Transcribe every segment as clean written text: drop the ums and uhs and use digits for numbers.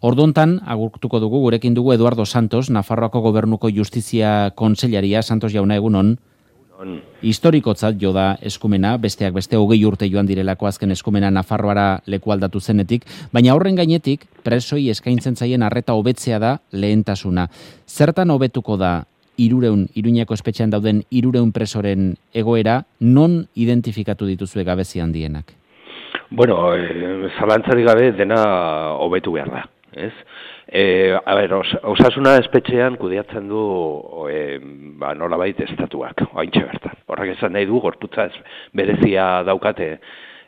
Ordontan, agurtuko dugu, gurekin dugu Eduardo Santos, Nafarroako Gobernuko Justizia Kontseilaria. Santos jauna, egunon. Historikotzat jo da eskumena, besteak beste 20 urte joan direlako azken eskumena Nafarroara leku aldatu zenetik, baina horren gainetik presoi eskaintzen zaien arreta hobetzea da lehentasuna. Zertan hobetuko da Iruñeko espetxean dauden 300 presoren egoera, non identifikatu dituzue gabezi handienak? Bueno, zalantzarik gabe dena hobetu behar da, ez? Osasuna espetxean kudeatzen du nolabait estatuak, oaintxe bertan. Horrek esan nahi du, gorputza berezia daukate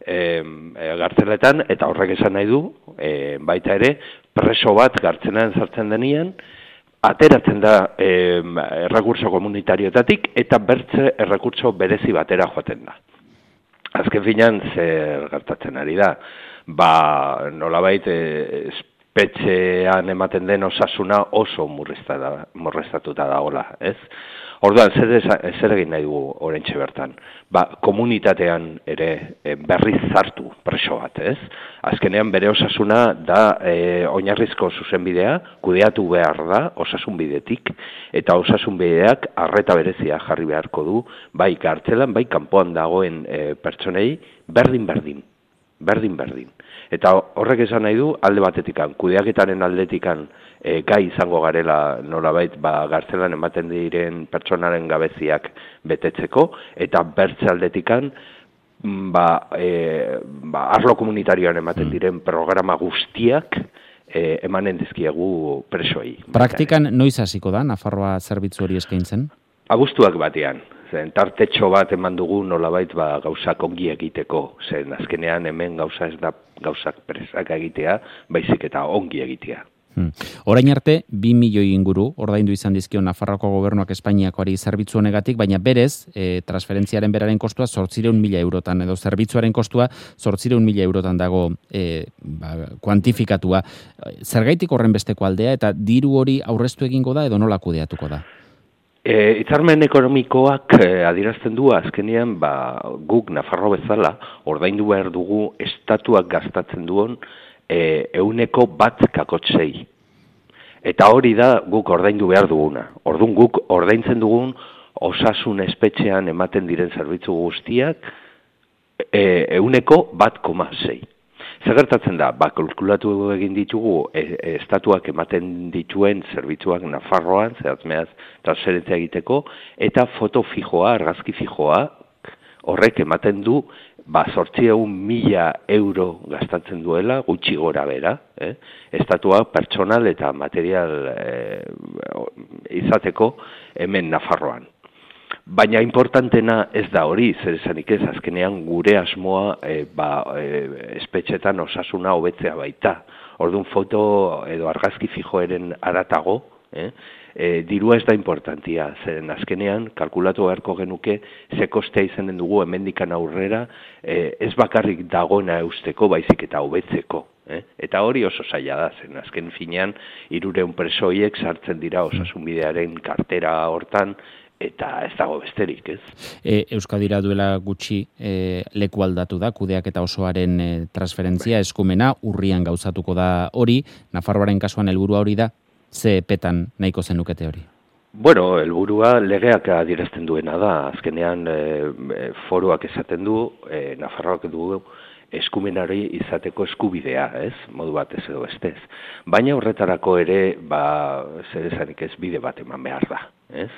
gartzeletan, eta horrek esan nahi du, baita ere, preso bat gartzelan sartzen denean, ateratzen da errekurtso komunitarioetatik, eta bertze errekurtso berezi batera joaten da. Azken finean, zer gertatzen ari da? Nolabait, espetxean ematen den osasuna oso murriztatuta dagoela, ez? Orduan, zer egin nahi dugu oraintxe bertan? Komunitatean ere berriz zartu preso bat, ez? Azkenean bere osasuna da oinarrizko zuzenbidea, kudeatu behar da osasun bidetik, eta osasun bideak arreta berezia jarri beharko du, bai kartzelan, bai kanpoan dagoen pertsonei, berdin. Eta horrek esan nahi du, alde batetikan, kudeaketaren aldetikan gai izango garela nolabait gartzelan ematen diren pertsonaren gabeziak betetzeko, eta bertze aldetikan arlo komunitarioan ematen diren programa guztiak emanen dizkiegu presoei. Praktikan noiz hasiko da Nafarroa zerbitzu hori eskaintzen? Abuztuak batean. Tartetxo bat eman dugu nolabait gauzak ongi egiteko. Zen azkenean hemen gauza ez da gauzak presak egitea, baizik eta ongi egitea. Orain arte, 2 milioi inguru, ordaindu izan dizkio Nafarroako Gobernuak Espainiakoari zerbitzu honegatik, baina berez, transferentziaren beraren kostua 800.000 eurotan, edo zerbitzuaren kostua 800.000 eurotan dago kuantifikatua. Zergaitik horren besteko aldea, eta diru hori aurreztu egingo da, edo nola kudeatuko da? Hitzarmen ekonomikoak adierazten du azkenean guk Nafarro bezala ordaindu behar dugu estatuak gastatzen duen 100%. Eta hori da guk ordaindu behar duguna. Orduan guk ordaintzen dugun osasun espetxean ematen diren zerbitzu guztiak 100%. Zer gertatzen da? Kalkulatu egin ditugu estatuak ematen dituen zerbitzuak Nafarroan, zehatzmeaz transferentzia egiteko, eta foto fijoa, argazki fijoa, horrek ematen du 800.000 euro gastatzen duela, gutxi gora bera, estatuak pertsonal eta material izateko hemen Nafarroan. Baina importantena ez da hori, zer esanik ez, azkenean gure asmoa espetxetan osasuna hobetzea baita. Orduan foto edo argazki fijoeren aratago, dirua ez da importantia, zeren azkenean kalkulatu beharko genuke ze kostea izanen dugu hemendikan aurrera, ez bakarrik dagoena eusteko, baizik eta hobetzeko. Eta hori oso zaila da, zen azken finean 300 presoiek sartzen dira osasunbidearen kartera hortan, eta ez dago besterik, ez? Euskadira duela gutxi leku aldatu da, kudeak eta osoaren transferentzia, eskumena, urrian gauzatuko da hori, Nafarroaren kasuan helburua hori da, ze petan nahiko zenukete hori? Bueno, helburua legeak adierazten duena da, azkenean foruak esaten du, Nafarroak du eskumenari izateko eskubidea, ez? Modu batez edo bestez. Baina horretarako ere, zer esanik ez bide bat eman behar da, ez?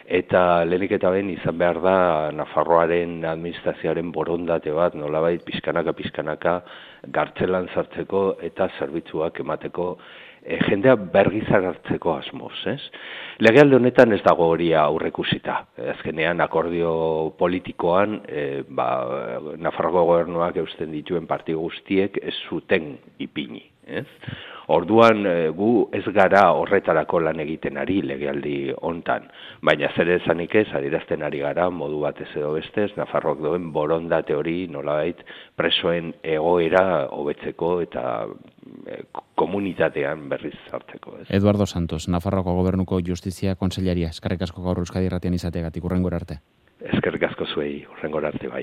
Eta lehenik eta behin izan behar da Nafarroaren administrazioaren borondate bat nolabait pixkanaka gartzelan sartzeko eta zerbitzuak emateko jendea bergizar hartzeko asmoz, ez? Legealde honetan ez dago hori aurreikusita. Azkenean akordio politikoan Nafarroko gobernuak eusten dituen partidu guztiek ez zuten ipini, ez? Orduan gu ez gara horretarako lan egiten ari legealdi hontan, baina zer esanik ez adierazten ari gara modu batez edo bestez Nafarroak duen borondate hori nolabait presoen egoera hobetzeko eta komunitatean berriz hartzeko. Eduardo Santos, Nafarroako Gobernuko Justizia Kontseilaria, eskerrik asko gaur Euskadi Irratian izateagatik, hurrengora arte. Eskerrik asko zuei, hurrengora arte bai.